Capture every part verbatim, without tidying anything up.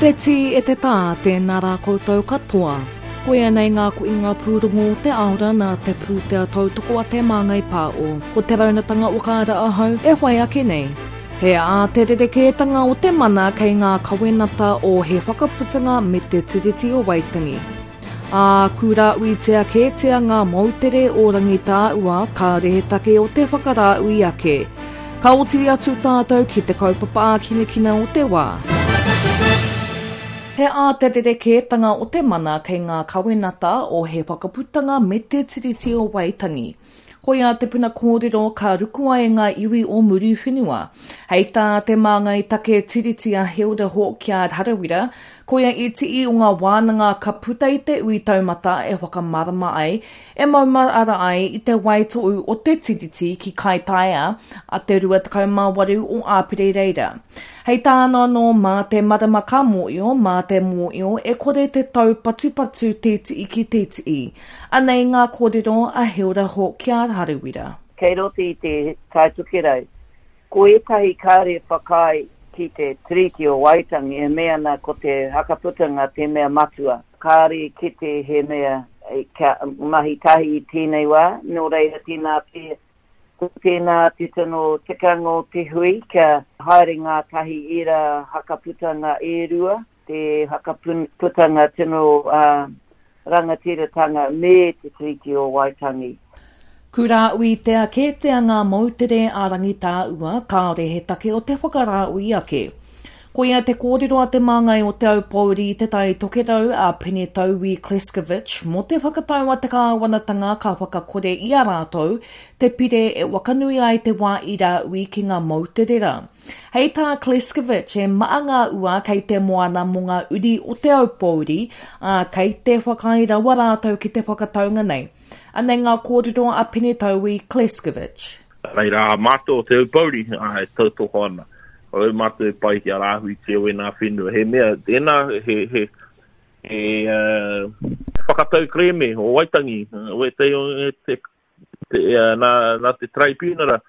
te tī e te tā, tēnā rā koutou katoa. Koia nei ngā koinga pūrongo o te aora nā te pūtea tautoko a Te Māngai Pāo. Ko te raunatanga o kāra ahau e whai ake nei. He ā te rerekētanga o te mana kei ngā kawenata o He Whakaputanga me te Tiriti o Waitangi. Ā, kūrāuitia kētia ngā moutere o Rangitāua kāore he take o te whakarāui ake. Ka oti atu tātou ki te kaupapa ākinakina o te wā. He ā te rerekētanga o te mana kei ngā kawenata o He Whakaputanga me te Tiriti o Waitangi. Koia te puna kōrero ka rukua e ngā iwi o Muriwhenua. Hei tā te māngai take Tiriti a Hilda Hawkyard Harawira, koia i tii o ngā wānanga ka puta i te ui taumata e whakamārama ai, e maumahara ai i te waitohu o te Tiriti ki Kaitaia a te rua tekau mā waru o Āpere reira. Hei tāna anō, mā te marama ka mōio, mā te mōio e kore te taupatupatu tētii ki tētii. Anei ngā kōrero a Hilda Hawkyard Harawira. Kei roto i te Tai Tokerau, ko ētahi kāre whakaae ki te Tiriti o Waitangi e mea ana ko te hakaputanga te mea matua. Kāre kite he mea kia mahi tahi i tēnei wā, nō reira tēnā pea. Ko tēnā te tino tikanga o te hui kia haere ngātahi ērā hakaputanga e rua, te hakaputanga tino uh, rangatiratanga me te Tiriti o Waitangi. Kūrāuitia kētia ngā moutere a Rangitāua, kāore he take o te whakarāui ake. Koia te kōrero a te māngai o Te Aupōuri Te Tai Tokerau a Penetaui Kleskovic mō te whakatau a te kāwanatanga ka whakakore i a rātou te pire e wakanui ai te wā i rāui ki ngā moutere rā. Hei tā Kleskovic e maa ngā ua kei te moana mō ngā uri o Te Aupōuri, ā, kei te whakaae rawa rātou ki te whakataunga nei. Anei ngā kōrero a Penetaui Kleskovic. Reira a mātou o Te Aupōuri, ā, e tautoko ana. Au mātou e pai ki a rāhui te o ēnā whenua. He mea, tēnā, he, he, he uh, whakatau kreme o Waitangi, o e te, te, te, uh, nā, nā te tribunara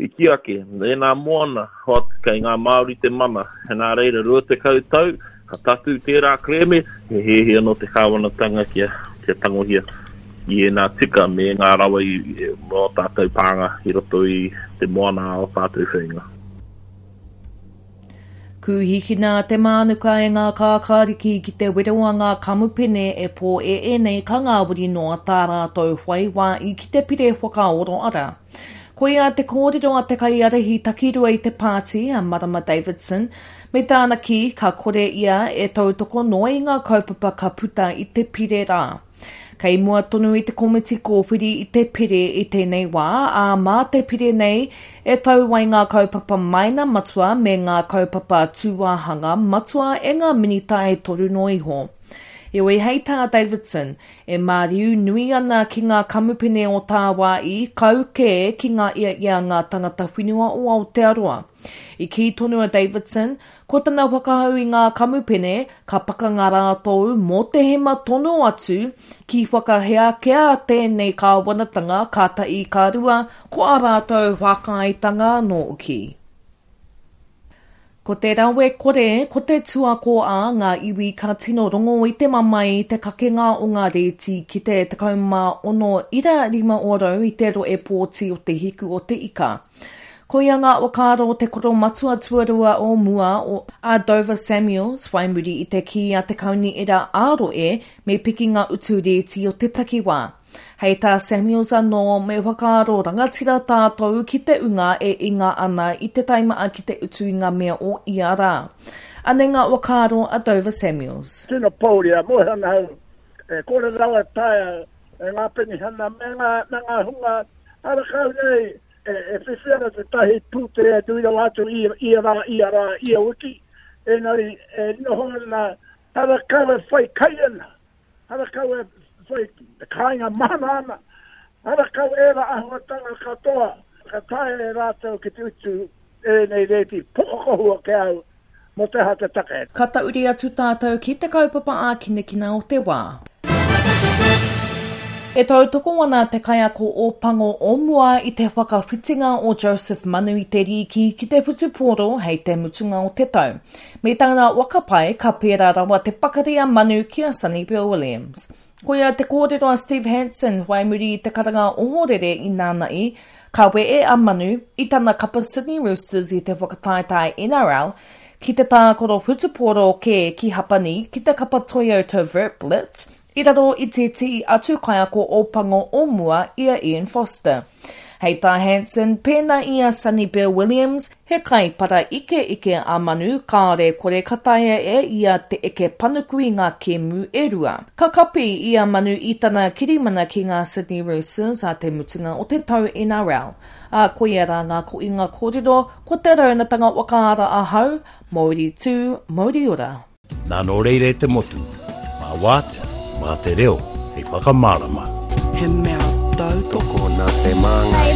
i ki ake, ēnā moana, hot, kei ngā Māori te mana. Nā reira, rua tekau tau, ka tatu tērā kreme, he hehe anō te kāwanatanga kia, kia tangohia i ēnā tika me ngā rawa i, i, mō tātou pānga i roto i te moana o tātou whenua. Kūhikina te mānuka e ngā kākāriki ki te wero a ngā kamupene e pō e ēnei ka ngāwari noa tā rātou whai wā i ki te pire whakaoro ara. Koia te kōrero a te kaiarahi takirua i te pāti a Marama Davidson, me tāna kī ka kore ia e tautoko noa i ngā kaupapa ka puta i te pire rā. Kei mua tonu i te komiti kōwhiri i te pire i tēnei wā, ā mā te pire nei e tau ai ngā kaupapa maina matua me ngā kaupapa tūāhanga matua e ngā minita e toru noa iho. Heoi hei tā Davidson, e māriu nui ana ki ngā kamupene o tāwāi kau kē ki ngā ia ia ngā tangata whenua o Aotearoa. I kī tonu a Davidson, ko tana whakahau i ngā kamupene ka pakanga rātou mō te hema tono atu ki whakahea kea tēnei kāwanatanga ka tahi ka rua ko a rātou whakaaetanga nōki. Ko te rawe kore, ko te tuako a ngā iwi ka tino rongo i te mamae i te kakenga o ngā rēti ki te tekau mā ono ira rima ōrau i te roe pōti o te hiku o te ika. Koia ngā whakaaro te koro matua tuarua o mua o a Dover Samuels whai muri i te kī a te kaunihera ā-roe me piki ngā utu rēti o te takiwā. Hei tā Samuels anō me whakaaro rangatira tātou ki te unga e inga ana i te taimaa ki te utu i ngā mea o ia rā. Anei ngā whakaaro a Dover Samuels. Tino pōuri a moe ana hau, e kore rawa taea e ngā penihana me ngā, me ngā hunga harakau nei e, e whiwhi ana te tahi pūtea nui rawa atu ia, ia rā, ia rā, ia wiki. Engari e noho ana harakau e whai kai ana, harakau e whai kāinga mana ana, harakau e rā ahuatanga katoa, ka taea e rātou ki te utu ēnei rēti pokokohua ke au mō te aha te take. Ka tauri atu tātou ki te kaupapa ākinakina o te wā. E tautoko ana te kaiako Ōpango o mua i te whakawhitinga o Joseph Manu i te rīki ki te whutupōro hei te mutunga o te tau. Me tana whakapae ka pērā rawa te pakari a Manu ki a Sonny Bill Williams. Koia te kōrero a Steve Hansen whai muri i te karanga ohorere i nānaī, ka wehe a Manu i tana kapa Sydney Roosters i te whakataetae N R L ki te tākaro whutupōro kē ki Hapani ki te kapa Toyota Verblitz i raro i tētehi atu kaiako Ōpango o mua i a Ian Foster. Hei tā Hansen, pēnā i a Sonny Bill Williams, he kaipara ikeike a Manu kāore kore ka taea e ia te eke panuku i ngā kēmu e rua. Ka kapi i a Manu i tana kirimana ki ngā Sydney Roosters a te mutunga o te tau N R L. A koia rā ngā koinga kōrero, ko te raunatanga whakaara ahau, Mauri tū, mauri ora. Nā nō reira e te motu, mā wātea, mā te reo, hei whakamārama. He mea tautoko Tokona te māngai.